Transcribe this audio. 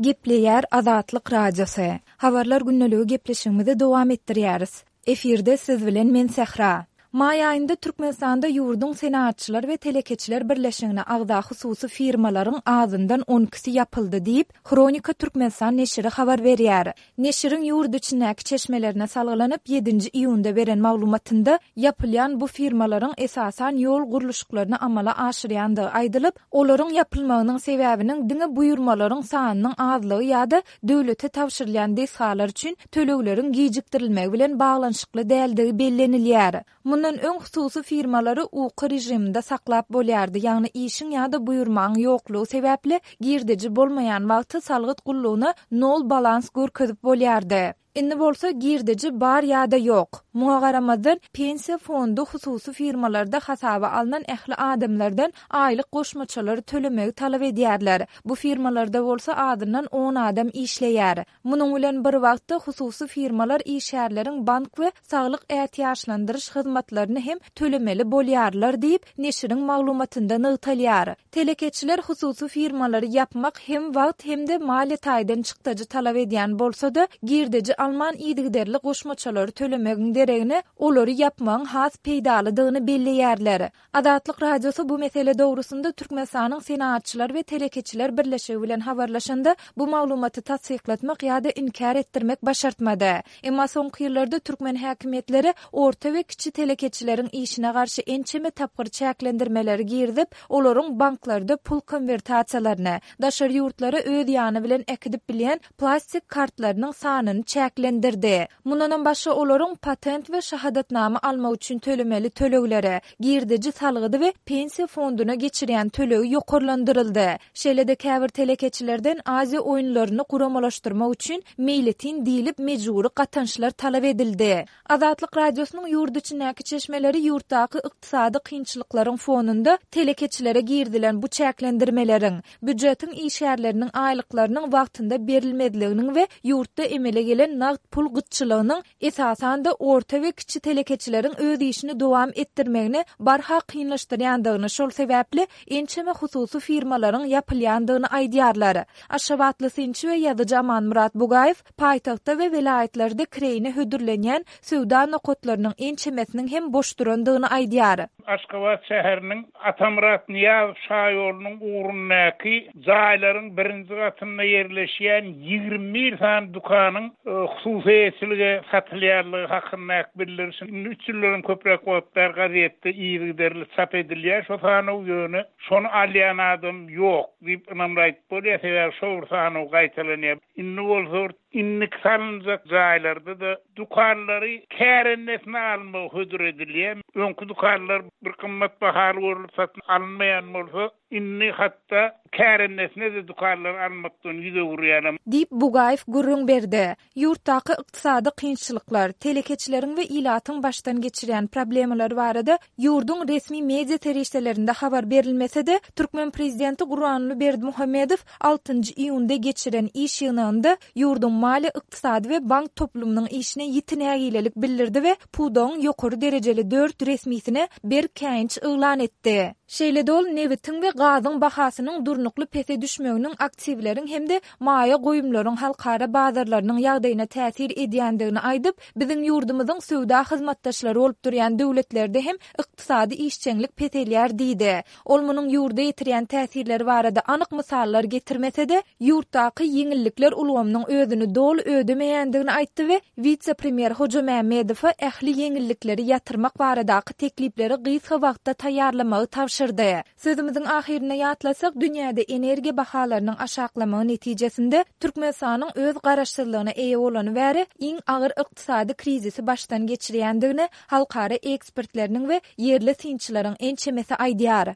Gepleýär Azatlyk Radiosy. Habarlar gündeligi gepleşigimizi dowam etdirýäris. Efirde siz bilen men Sähra. Maý aýynda Türkmenistanda ýurduň Senagatçylar we telekeçiler birleşigine agza hususy firmalaryň azyndan on ikisi ýapyldy diýip, Hronika Türkmenistan neşiri habar berýär. Neşiriň ýurt içindäki çeşmelerine salgylanyp, ýedinji iýunda beren maglumatynda, ýapylýan bu firmalaryň esasan ýol gurluşyklaryny amala aşyrýandygy aýdylyp, olaryň ýapylmagynyň sebäbiniň diňe buýurmalaryň sanynyň azlygy ýa-da döwlete tabşyrylýan desgalar üçin tölegleriň gijikdirilmegi bilen baglanyşykly däldigi bellenilýär. Mundan öň hususy firmalary uky režiminde saklap bolýardy, ýagny işiň ýa-da buýurmaň ýoklugy sebäpli girdeji bolmaýan wagty salgyt gullugyna nol balans görkezip bolýardy. Indi bolsa girdeji bar ýa-da ýok. Muňa garamazdan, Pensiýa fondy hususy firmalarda hasaba alnan ähli adamlardan aýlyk goşmaçalary tölemegi talap edýärler. Bu firmalarda bolsa azyndan on adam işleýär. Munuň bilen bir wagtda, hususy firmalar işgärleriň bank we saglyk ätiýaçlandyryş hyzmatlaryny hem tölemeli bolýarlar diýip, neşiriň maglumatynda nygtalýar. Telekeçiler hususy firmalary ýapmak hem wagt hem-de maliýe taýdan çykdajy talap edýän bolsa-da, girdeji alman yzygiderli goşmaçalary tölemegiň deregine, olary ýapmagyň has peýdalydygyny belleýärler. Azatlyk Radiosy bu mesele dogrusynda Türkmenistanyň Senagatçylar we telekeçiler birleşigi bilen habarlaşanda, bu maglumaty tassyklatmak ýa-da inkär etdirmek başartmady. Emma soňky ýyllarda türkmen häkimiýetleri orta we kiçi telekeçileriň işine garşy ençeme tapgyr çäklendirmeleri girizip, olaryň banklarda pul konwertasiýalaryny, daşary ýurtlara öz ýany bilen äkidip bilýän plastik kartlarynyň sanyny çäklendirdi. Mundanam başga olaryň patent we şahadatnama almak üçin tölemeli tölegleri, girdeji salgydy we pensiýa fonduna geçirýän tölegi ýokarlandyryldy. Şeýle-de käbir telekeçilerden Aziýa oýunlaryny guramalaşdyrmak üçin meýletin diýlip mejbury gatançlar talap edildi. Azatlyk Radiosynyň ýurt içindäki çeşmeleri ýurtdaky ykdysady kynçylyklaryň fonunda telekeçilere girizilen bu çäklendirmeleriň, býujetiň işgärleriniň aýlyklarynyň wagtynda berilmezliginiň we ýurtda emele gelen nagt pul gytçylygynyň esasan-da orta we kiçi telekeçileriň öz işini dowam etdirmegini barha kynlaşdyrýandygyny, şol sebäpli ençeme hususy firmalaryň ýapylýandygyny aýdýarlar. Aşgabatly synçy we ýazyjy Amanmyrat Bugaýew paýtagtda we welaýatlarda kireýine hödürlenýän söwda nokatlarynyň ençemesiniň hem boş durandygyny aýdýar. Aşgabat şäheriniň Atamyrat Nyýazow şaýolunyň ugrundaky jaýlaryň birinji gatynda ýerleşýän 21 sany dükanyň hususy eýeçilige satylýanlygy hakyndaky bildiriş indi üç ýyldanam köpräk wagt bäri gazetde yzygiderli çap edilýär şo sanaw, ýöne şony alýan adam ýok diýip ynamly aýdyp bolýar, sebäbi şo bir sanaw gaýtalanýar. Indi bolsa indiki salynjak jaýlarda-da dükanlary kärendesine almagy hödür edilýär. Öňki dükanlar bir gymmat bahaly görlüp satyn alynmaýan bolsa, indi hatda kärendesine-de dükanlary almakdan ýüz öwürýärler. Diýip, Bugaýew gürrüň berdi. Ýurtdaky ykdysady kynçylyklar, telekeçileriň we ilatyň başdan geçirýän problemalary barada ýurduň resmi media serişdelerinde habar berilmese-de, türkmen prezidenti Gurbanguly Berdimuhamedow altynjy iýunda geçiren iş ýygnagynda ýurduň maliýe-ykdysady we bank toplumynyň işine ýiti nägilelik bildirdi we pudagyň ýokary derejeli dört resmisine berk käýinç yglan etdi. Şeýle-de ol nebitiň we gazyň bahasynyň durnukly pese düşmeginiň aktiwleriň hem-de maýa goýumlaryň halkara bazarlarynyň ýagdaýyna täsir edýändigini aýdyp, biziň ýurdumyzyň söwda hyzmatdaşlary bolup durýan döwletlerde hem ykdysady işjeňlik peselýär diýdi. Ol munuň ýurda ýetirýän täsirleri barada anyk mysallar getirmese-de, ýurtdaky ýeňillikler ulgamynyň özüni doly ödemeýändigini aýtdy we wise-premýer Hojamämmedowa ähli ýeňillikleri ýatyrmak baradaky teklipleri gysga wagtda taýýarlamagy tabşyrdy. Sözümiziň ahyrynda ýatlasak, dünýäde energiýa bahalarynyň aşaklamagy netijesinde Türkmenistanyň öz garaşsyzlygyna eýe bolany bäri iň agyr ykdysady krizisi başdan geçirýändigini halkara ekspertleriniň we ýerli synçylaryň ençemesi aýdýar.